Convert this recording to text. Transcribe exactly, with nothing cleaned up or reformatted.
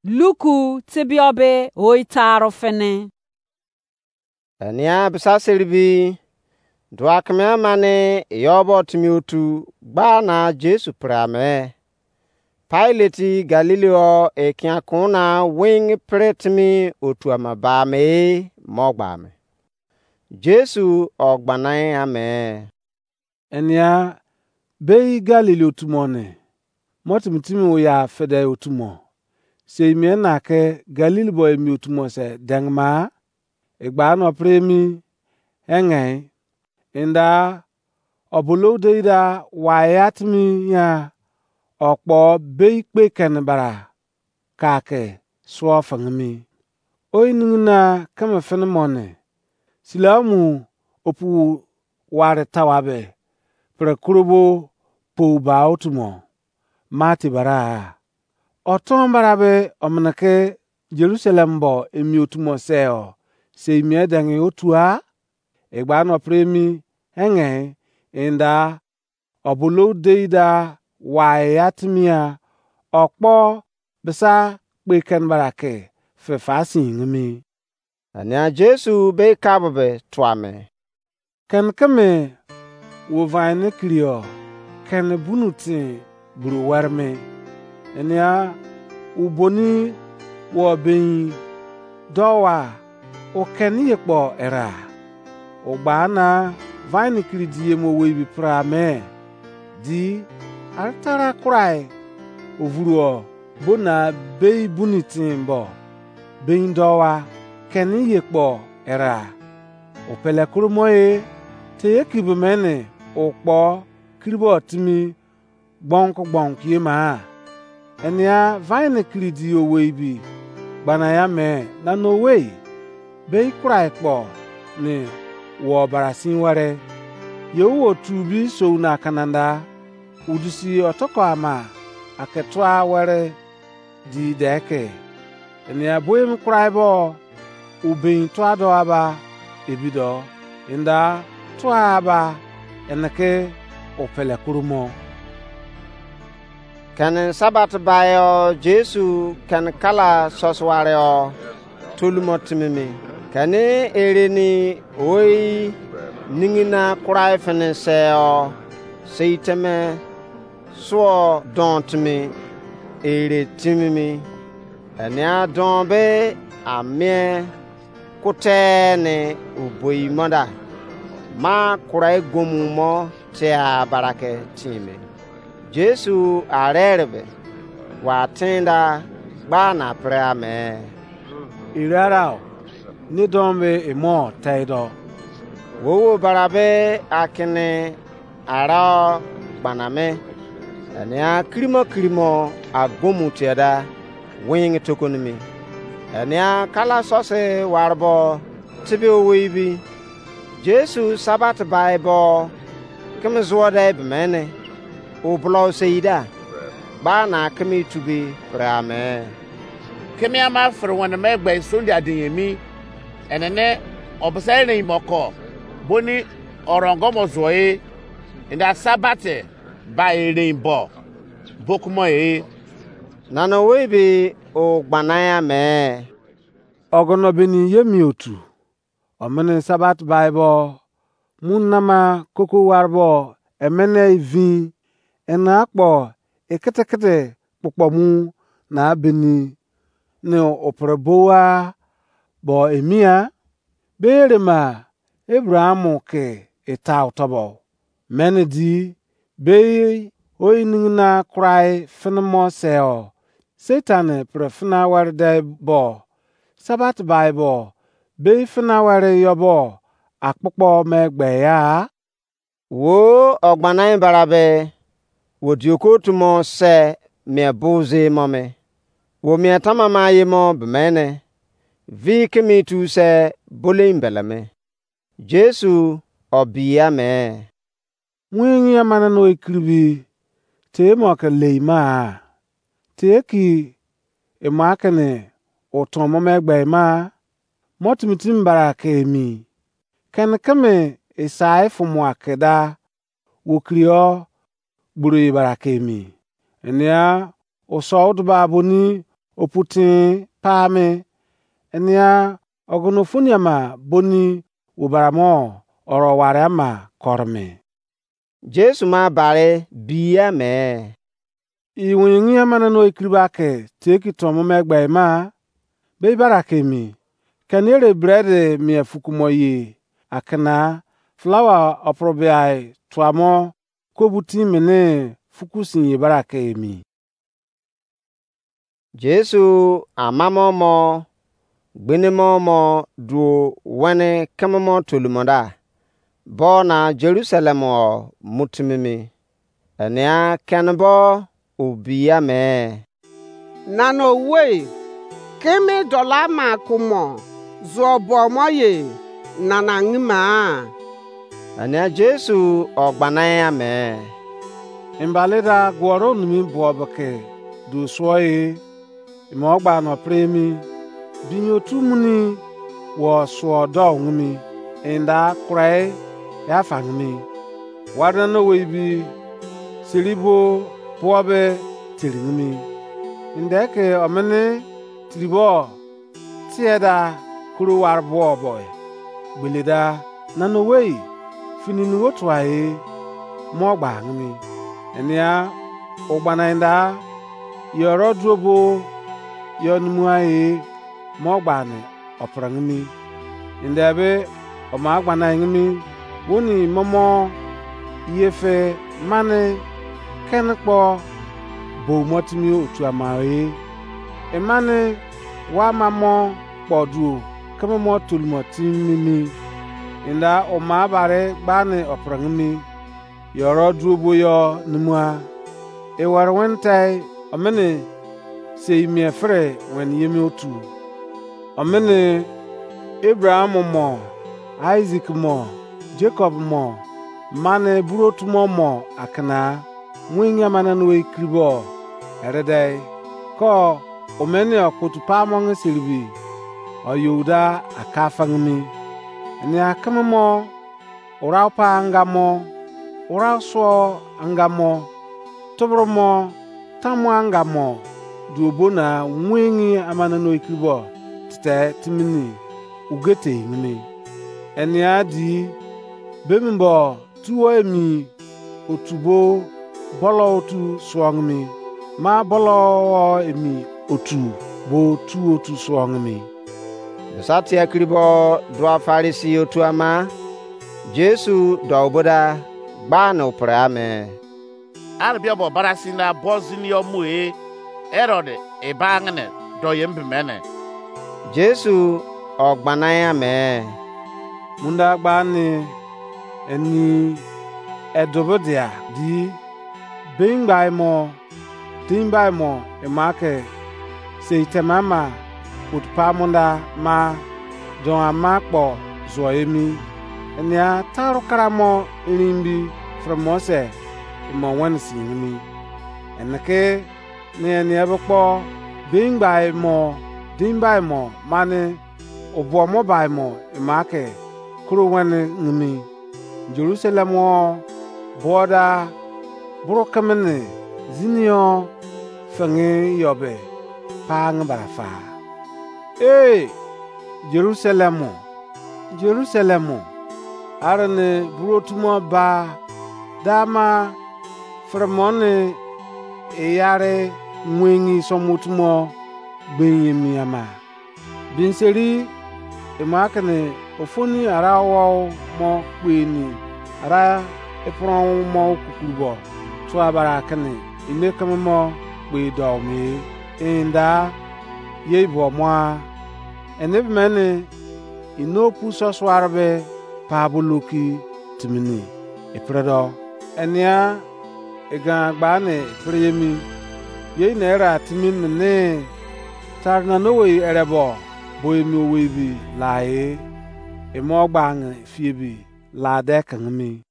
Luku tebiobe oitaro fini. Enia bisa seribi, dua keme amane yobo timi otu gba na Jesu pre ame. Pilate Galili o ekian kuna wing pre timi otu ama ba me mo gba me. Jesu ogbana ame. Enia bei Galili otu mo ne, mo timi timi oya fede otu mo. Sei mien na ke Galili bo emi otu mo se dengma, egba no pre emi enge, inda obolo deida wai atimi ya okpo bei kpe kene bara ka ke suo fengimi. Oyi ningina keme fini mo ne, sila mu opu ware tawabe, pre kurobo pou ba otu mo, mati bara. Oton bara be omene ke Jerusalem bo emi otu mo se o, sei mien denge otua, egba no pre emi enge, inda obolo deida wai atimia okpo bisa kpe ken bara ke fe fa singimi. Ania Jesu be kabo be tuame. Ken keme wo vine kirio ken bunu tin buru werme. Enia uboni wo bein dowa o ken ye kpo era. O gba na vine kiri di ye mo weibi pra me. Di aritara kurai ovuruo bona bei buni tin bo bein dowa keni ye kpo era. O pele kurumo e te ye kibe mene o kpo kiribo timi gbonku gbonku ye ma. Enia vine kiri di owei bi gbana ya me na no wei. Bei kurai kpo ne wo barasin ware. Ye wo tu bi sou na kananda. Udisi otoko ama ake tua were di deke. Enia boem kurai bo ubein tua do aba ebido inda tua aba eneke o pele kurumo. Kene Sabat bayo Jesu kene kala sosware o tolumo timimi. Kene ereni oi ningina kurai fene se o sei teme suo don timi ere timimi. Enia don be amie kute ne uboi moda ma kurai gomu mo tia barake time. Jesu arerebe wa tenda gba na pre ame. Irarao ne don be emo teido. Wowo barabe akene ara gbaname. Enia kirimo kirimo agomu tiada wing tokonimi. Enia kala sose warbo tibi owei bi. Jesu Sabat bai bo keme zuo de bemene. O blo seida. Gba na keme tubi pre ame. Keme ama fere wane me gbe Sunday adin emi. Enene obisa eren moko boni orongo mo zuo e. Inda Sabat ba eren bo bokumo e. Nana owei be o gbana ya me. Ogono beni ye mi otu. Omene Sabat bai bo mu nama koko warbo emene vin ena akpo ekete kete kpukpo mu na beni ne opere bowa bo emia. Be erema Abraham ke eta otobo mene di bei oinigina kurai fene mo se o. Satan pre fena were de bo Sabat bai bo bei fena were yo bo akpokpo me gbe ya. Wo ogbana barabe wo dioko tumo se mie buzi mo me. Wo mie tamama ye mo bemene vi kemi tu se bolein beleme. Jesu obi ya me. Wingi amane no ekiribi te mo ke lei ma. Te ki emo akene otomo me gbe ma. Mo timi timi bara ke emi. Kene keme esai fumu akeda wo kirio gburu ibara ke emi. Enia oso uduba boni opu tin pa me. Enia ogunu funi ama boni wo bara mo oro ware ama kore me. Jesu ma bari bi ya me. I wenye ngia mana no ekiri ba ke teki tomo me gbe ma. Be bara ke mi. Keni ere bread mia fukumo ye. Akena flour oprobiai tuamo kobu tin mene fuku sin ye bara ke emi. Jesu amamo mo gbenemo mo duo wene kememo tolumo da. Bo na Jerusalem o mutimimi. Enia kenebo obiya me. Nana owei, keme dola ma kumo zuo bo mo ye nana ngima? Ania Jesu ogbana ya me. Imbale da guoro nimi buo beke du suo e, imo gba no premi, binyo tu muni wo suo do ngimi, inda kurai ya fa ngimi. Warna no we bi siribo buo be tiri ngimi. Inde ke omene tiribo tie da kuru war buo bo gbele da nana owei fini nu otua e mo gba ngimi. Enia ogbana inda yoro duobo yo numua e mo gba ni opre ngimi. Inde be oma gbana ngimi woni momo ye fe mani keni kpo bo mo timi otu ama e. Emani wa ma mo kpo duo keme mo tolumo timi mi. Inda oma bare gbani opre ngimi. Yoro duo bo yo numua. Ewere wen tai omene sei mie fere wen yemi otu. Omene Abraham mo, Isaac mo, Jacob mo, mane buru otu mo mo akana wengi amana no ekiribo eredei ko omeni okpotu pamo nge seribi oyouda aka fangimi. Eni akeme mo urau pa anga mo, urau suo anga mo, tuboro mo, tamu anga mo, duo bo na wengi amana no ekiribo tete timini ugete ngimi. Enia di bemi bo tuo emi otu bo bolo otu suo ngimi, ma bolo emi otu bo tu otu suo ngimi. Misa tie kiribo dua Farisi otu ama Jesu do oboda gba na upre ame. Arabia bo barasin da bo zini yo mu e, Herod e ba ngene do ye mbimene. Jesu ogbana ya me. Munda gba ni eni edobo dia di bengbai mo, dingbai mo ema ke sei tema ma otu pa munda ma don ama kpo zuo emi. Enia taru kara mo irimbi fere mo se emo wene si emi. Ene ke ne enia be kpo bengbai mo, dingbai mo mane obuo mo bai mo ema ke koro wene ngimi. Jerusalem wo buo da buru kemene zini yo fengi yo be pa nge bara fa. Ee, Jerusalem, Jerusalem, arene buru otu mo ba dama fere mo ne eyare wengi somu otu mo gbein emi ama. Binseri ema kene ofoni ara owou mo kpeni ara epron mo kukuru bo tua bara kene ine keme mo kpe do me inda ye ibuo mo a. Ene be mene ino pu sosuare be pa boloki timini ipre do. Enia egan gba ne ipre yemi. Ye ina era timi nene tare nana owei erebo bo emi owei bi lae. Emo gba nge fie bi la de kengemi.